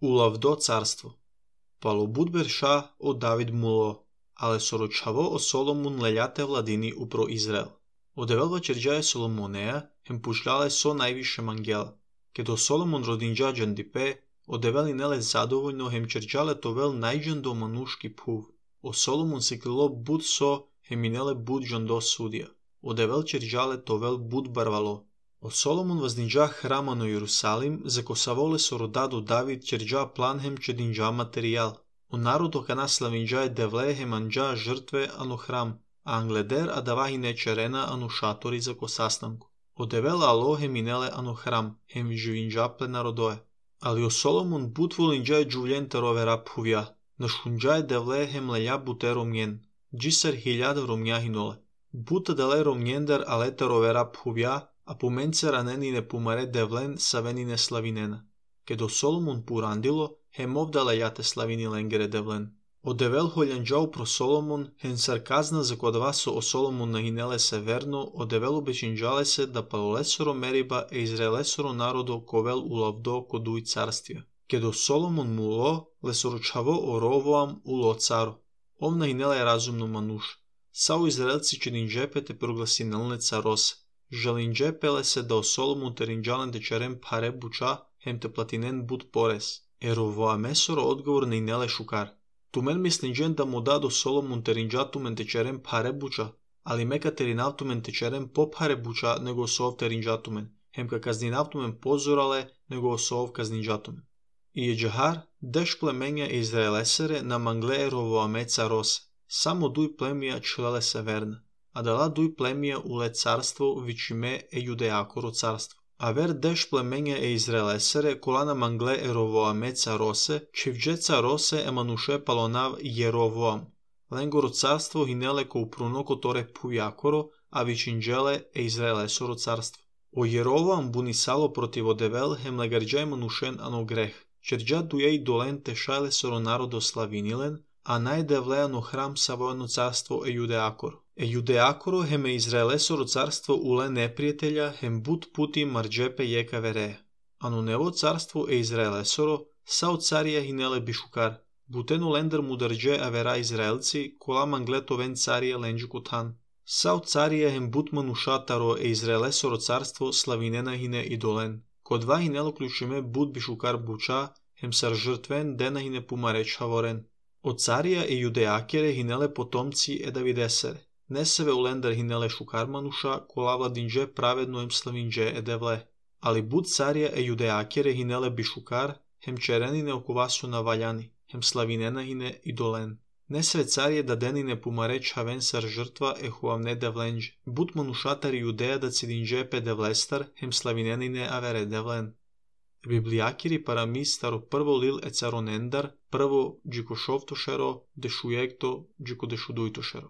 Улавдо царство. Пало будберша о Давид муло, але сорочаво о Соломон лељате владини упро Израел. Одевелва черџаје Соломонеја, хем пушлале со највише мангела. Кедо Соломон родинџаџан дипе, одевели неле задовољно хем черџале товел најџандо манушки пув. О Соломон се клило буд со хеминеле буд джандо судија. Одевел черџале товел буд барвало. О Соломон воздинџа храма на Јерусалим, за ко саволе со родадо Давид черџа план хем чединџа материјал. O narodo kana slavinđaje devle hemanđa žrtve ano hram, a angleder a davahine čerena ano šatori za ko sastanku. Odevela alo heminele ano hram, hem živinđaple narodoje. Ali o Solomon but volinđaje džuvljente rove raphuvja, na šunđaje devle hem leja bute romnjen, džisar hiljada romnja hinole. Buta dele romnjender alete rove raphuvja, a pomence ranenine pumare devlen savenine slavinena. Kedo Solomon purandilo, hem ovdala jate slavini lengere devlen. Odevel holjanđau pro Solomon, hen sarkazna za kodva so o Solomon nahinele severno, odevel obečinđale se da palolesoro meriba e izraelesoro narodo kovel ulavdo koduj carstvija. Kedo Solomon mulo, lesoročavo o Rovoam ulo caro. Ov nahinele razumno manuš. Sao izraelci čedinđepe te proglasinelne carose. Žalinđepele se da o Solomon terinđalen te čerem pare buča, hem te platinen bud pores. Еровоамесоро одговор на инеле шукар. Тумен мислинџен да му дадо Соломон теринџатумен течерен паре буча, али мека теринавтумен течерен по паре буча него сов теринџатумен, хемка казнинавтумен позорале него сов казнинџатумен. И еџахар, деш племенја Израелесере на мангле Еровоаме царосе, само дуј племија члеле северна, а дала дуј племија уле царство вичиме е Јудеакоро царство. Авер деш племенја е Израелесере, колана мангле Еровоаме царосе, чивџе царосе емануше палонав Јеровоам. Ленгоро царство хинеле ко упруноко торе пујакоро, а вичинџеле е Израелесоро царство. О Јеровоам бунисало против одевел, хем легарџа еманушен ано грех. Черџа дује и долен тешале соро народо славинилен, а најдевлеано храм савоено царство е Јудеакоро. Е Јудеакоро хем е Израелесоро царство уле непријателја хем бут пути марџепе јека вереја. Ано нево царство е Израелесоро, сао царија хинеле бишукар. Бутено лендер мударџе авера Израелци, кола манглетовен царија ленџи кутан. Сао царија хем бут манушатаро е Израелесоро царство славинена хине идолен. Кодва хинело клучиме бут бишукар буча, хем сар жртвен дена хине пумареч хаворен. Од царија е Јудеакере хинеле потомци е Давидесере. Не себе улендер хинеле шукар мануша, кола владинџе праведно ем славинџе е девле. Али буд царија е Јудеакере хинеле бишукар, хем черенине оковасу на ваљани, хем славинена хине идолен. Не све царје да денине пумареч хавен сар жртва е хуавне девленџе. Буд манушатари Јудеја да цидинџе пе девлестар, хем славиненине авере девлен. Библијакири парами старо прво лил е царонендар, прво джикошовтошеро, дешујекто, джикодешудујтошеро.